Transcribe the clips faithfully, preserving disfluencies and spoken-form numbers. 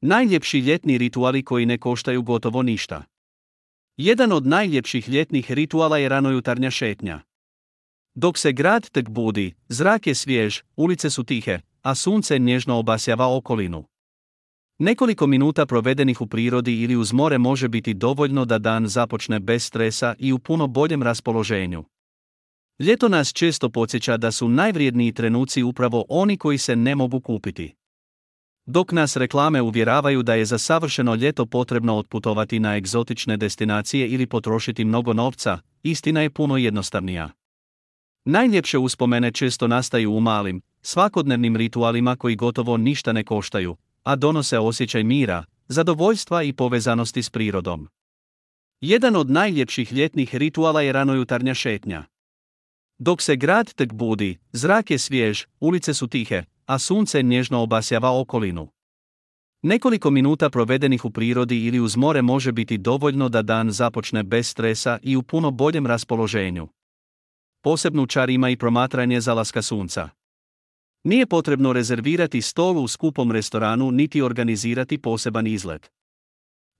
Najljepši ljetni rituali koji ne koštaju gotovo ništa. Jedan od najljepših ljetnih rituala je ranojutarnja šetnja. Dok se grad tek budi, zrak je svjež, ulice su tihe, a sunce nježno obasjava okolinu. Nekoliko minuta provedenih u prirodi ili uz more može biti dovoljno da dan započne bez stresa i u puno boljem raspoloženju. Ljeto nas često podsjeća da su najvrjedniji trenuci upravo oni koji se ne mogu kupiti. Dok nas reklame uvjeravaju da je za savršeno ljeto potrebno otputovati na egzotične destinacije ili potrošiti mnogo novca, istina je puno jednostavnija. Najljepše uspomene često nastaju u malim, svakodnevnim ritualima koji gotovo ništa ne koštaju, a donose osjećaj mira, zadovoljstva i povezanosti s prirodom. Jedan od najljepših ljetnih rituala je ranojutarnja šetnja. Dok se grad tek budi, zrak je svjež, ulice su tihe, a sunce nježno obasjava okolinu. Nekoliko minuta provedenih u prirodi ili uz more može biti dovoljno da dan započne bez stresa i u puno boljem raspoloženju. Posebnu čar ima i promatranje zalaska sunca. Nije potrebno rezervirati stol u skupom restoranu niti organizirati poseban izlet.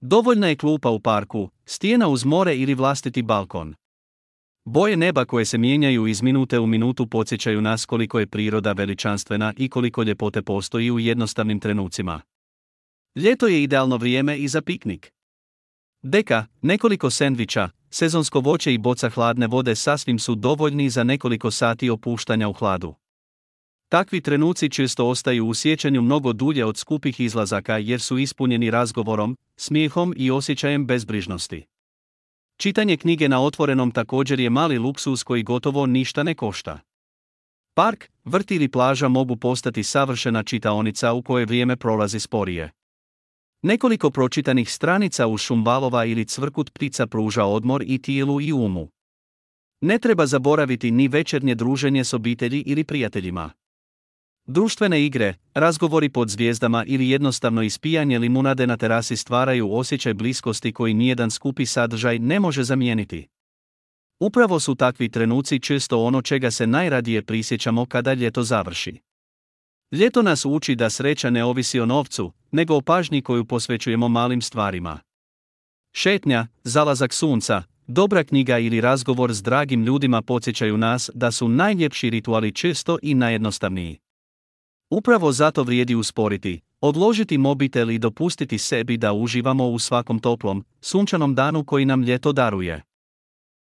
Dovoljna je klupa u parku, stijena uz more ili vlastiti balkon. Boje neba koje se mijenjaju iz minute u minutu podsjećaju nas koliko je priroda veličanstvena i koliko ljepote postoji u jednostavnim trenucima. Ljeto je idealno vrijeme i za piknik. Deka, nekoliko sendviča, sezonsko voće i boca hladne vode sasvim su dovoljni za nekoliko sati opuštanja u hladu. Takvi trenuci često ostaju u sjećanju mnogo dulje od skupih izlazaka jer su ispunjeni razgovorom, smijehom i osjećajem bezbrižnosti. Čitanje knjige na otvorenom također je mali luksuz koji gotovo ništa ne košta. Park, vrt ili plaža mogu postati savršena čitaonica u kojoj vrijeme prolazi sporije. Nekoliko pročitanih stranica uz šum valova ili cvrkut ptica pruža odmor i tijelu i umu. Ne treba zaboraviti ni večernje druženje s obitelji ili prijateljima. Društvene igre, razgovori pod zvijezdama ili jednostavno ispijanje limunade na terasi stvaraju osjećaj bliskosti koji nijedan skupi sadržaj ne može zamijeniti. Upravo su takvi trenuci često ono čega se najradije prisjećamo kada ljeto završi. Ljeto nas uči da sreća ne ovisi o novcu, nego o pažnji koju posvećujemo malim stvarima. Šetnja, zalazak sunca, dobra knjiga ili razgovor s dragim ljudima podsjećaju nas da su najljepši rituali često i najjednostavniji. Upravo zato vrijedi usporiti, odložiti mobitel i dopustiti sebi da uživamo u svakom toplom, sunčanom danu koji nam ljeto daruje.